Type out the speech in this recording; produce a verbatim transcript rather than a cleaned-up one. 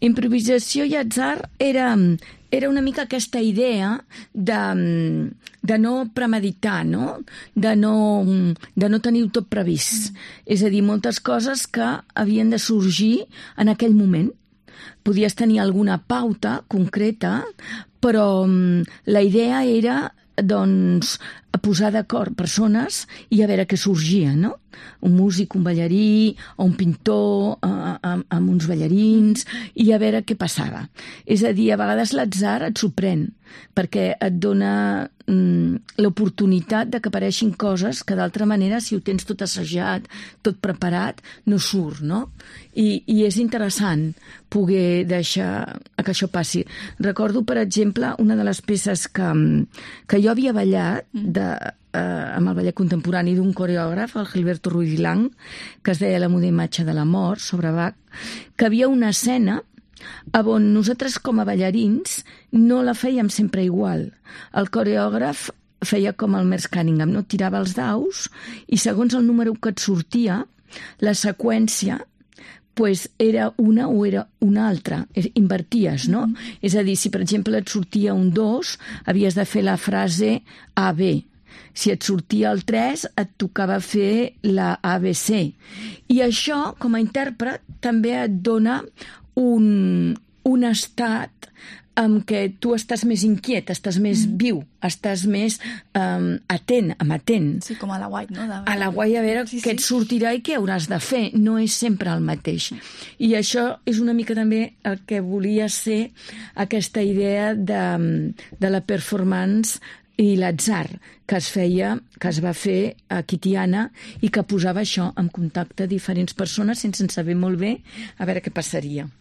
Improvisació i atzar era, era una mica aquesta idea de, de no premeditar, no? De no, de no tenir tot previst. Mm. És a dir, moltes coses que havien de sorgir en aquell moment. Podies tenir alguna pauta concreta, però la idea era doncs, posar d'acord persones i a veure què sorgia, no? Un músic, un ballarí, o un pintor amb, amb uns ballarins, i a veure què passava. És a dir, a vegades l'atzar et sorprèn, perquè et dona mm, l'oportunitat de que apareixin coses que d'altra manera, si ho tens tot assajat, tot preparat, no surt, no? I, i és interessant poder deixar que això passi. Recordo, per exemple, una de les peces que, que jo havia ballat de, eh, amb el ballet contemporani d'un coreògraf, el Gilberto Ruiz-Lang, que es deia La muda imatge de la mort, sobre Bach, que havia una escena on nosaltres com a ballarins no la fèiem sempre igual. El coreògraf feia com el Merce Cunningham, no? Tirava els daus i segons el número que et sortia, la seqüència pues era una o era una altra, inverties, no? Mm-hmm. És a dir, si per exemple et sortia un dos, havies de fer la frase A B. Si et sortia el tres, et tocava fer la A B C. I això, com a intèrpret, també et dona un, un estat en què tu estàs més inquiet, estàs més mm. viu, estàs més um, atent, amatent. Sí, com a la guai, no? De... A la guai, a veure sí, què sí. et sortirà i què hauràs de fer. No és sempre el mateix. I això és una mica també el que volia ser aquesta idea de, de la performance i l'atzar que es feia, que es va fer a Kitiana i que posava això en contacte diferents persones sense saber molt bé a veure què passaria.